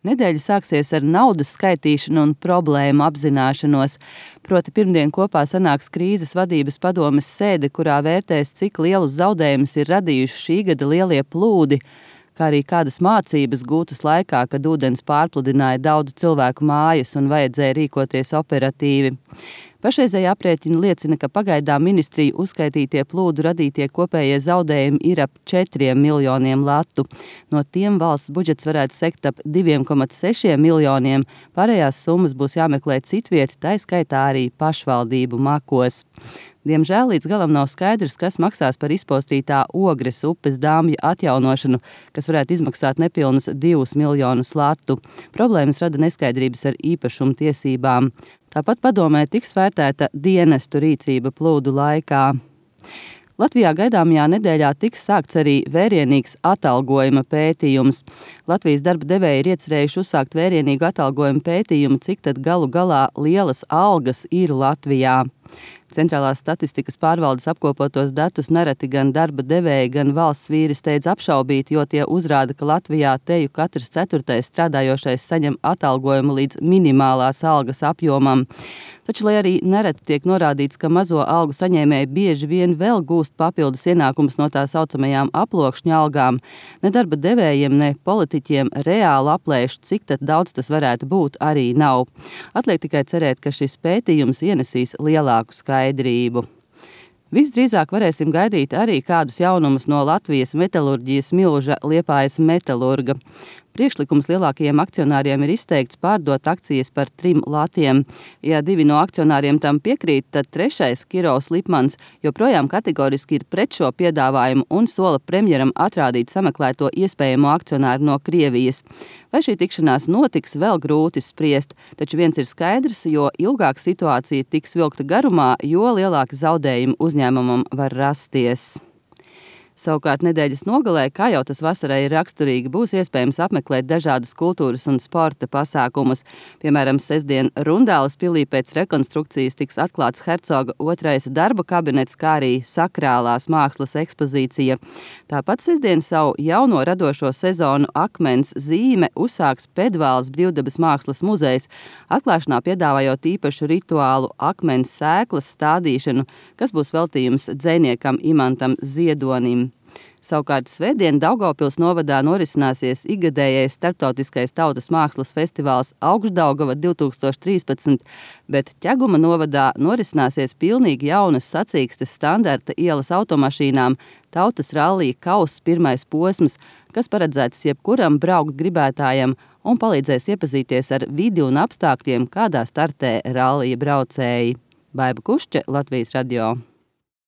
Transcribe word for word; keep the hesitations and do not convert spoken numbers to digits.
Nedēļa sāksies ar naudas skaitīšanu un problēmu apzināšanos. Proti pirmdien kopā sanāks krīzes vadības padomes sēde, kurā vērtēs, cik lielus zaudējumus ir radījuši šī gada lielie plūdi, kā arī kādas mācības gūtas laikā, kad ūdens pārpludināja daudzu cilvēku mājas un vajadzēja rīkoties operatīvi. Pašreizēji aprēķini liecina, ka pagaidām ministriju uzskaitītie plūdu radītie kopējie zaudējumi ir ap četriem miljoniem latu. No tiem valsts budžets varētu sekt ap diviem komats sešiem miljoniem, pārējās summas būs jāmeklē citvieti, tai skaitā arī pašvaldību makos. Diemžēl līdz galam nav skaidrs, kas maksās par izpostītā Ogres upes dāmja atjaunošanu, kas varētu izmaksāt nepilnus divus miljonus latu. Problēmas rada neskaidrības ar īpašumu tiesībām. Tāpat padomē tiks vērtēta dienestu rīcība plūdu laikā. Latvijā gaidāmajā nedēļā tiks sākts arī vērienīgs atalgojuma pētījums. Latvijas darba devēji ir iecerējuši uzsākt vērienīgu atalgojuma pētījumu, cik tad galu galā lielas algas ir Latvijā. Centrālās statistikas pārvaldes apkopotos datus nereti gan darba devēji, gan valsts vīri steidz apšaubīt, jo tie uzrāda, ka Latvijā teju katrs ceturtais strādājošais saņem atalgojumu līdz minimālās algas apjomam. Taču, lai arī nereti tiek norādīts, ka mazo algu saņēmēji bieži vien vēl gūst papildus ienākumus no tā saucamajām aploksņa algām, ne darba devējiem, ne politiķiem reāli aplēšu, cik tad daudz tas varētu būt, arī nav. Atliek tikai cerēt, ka šis pētījums ienesīs lielāku skaidrību. Visdrīzāk varēsim gaidīt arī kādus jaunumus no Latvijas metalurģijas milža Liepājas Metalurga. Priekšlikums lielākajiem akcionāriem ir izteikts pārdot akcijas par trim latiem. Ja divi no akcionāriem tam piekrīt, tad trešais, Kirovs Lipmans, joprojām kategoriski ir pret šo piedāvājumu un sola premjeram atrādīt sameklēto iespējamo akcionāru no Krievijas. Vai šī tikšanās notiks, vēl grūti spriest, taču viens ir skaidrs, jo ilgāk situācija tiks vilkta garumā, jo lielāki zaudējumi uzņēmumam var rasties. Savukārt nedēļas nogalē, kā jau tas vasarai ir raksturīgi, būs iespējams apmeklēt dažādus kultūras un sporta pasākumus. Piemēram, sestdien Rundāles pilī pēc rekonstrukcijas tiks atklāts Hercoga otrais darba kabinets, kā arī sakrālās mākslas ekspozīcija. Tāpat sestdien savu jauno radošo sezonu Akmens zīme uzsāks Pedvāles brīvdabas mākslas muzejs, atklāšanā piedāvājot īpašu rituālu akmens sēklas stādīšanu, kas būs veltījums dzejniekam Imantam Ziedonim. Savukārt svētdien Daugavpils novadā norisināsies ikgadējais starptautiskais tautas mākslas festivāls Augšdaugava divi tūkstoši trīspadsmit, bet Ķeguma novadā norisināsies pilnīgi jaunas sacīkstes standarta ielas automašīnām Tautas rallija Kauss pirmais posms, kas paredzēts jebkuram braukt gribētājam un palīdzēs iepazīties ar vidi un apstākļiem, kādā startē rallija braucēji. Baiba Kušče, Latvijas radio.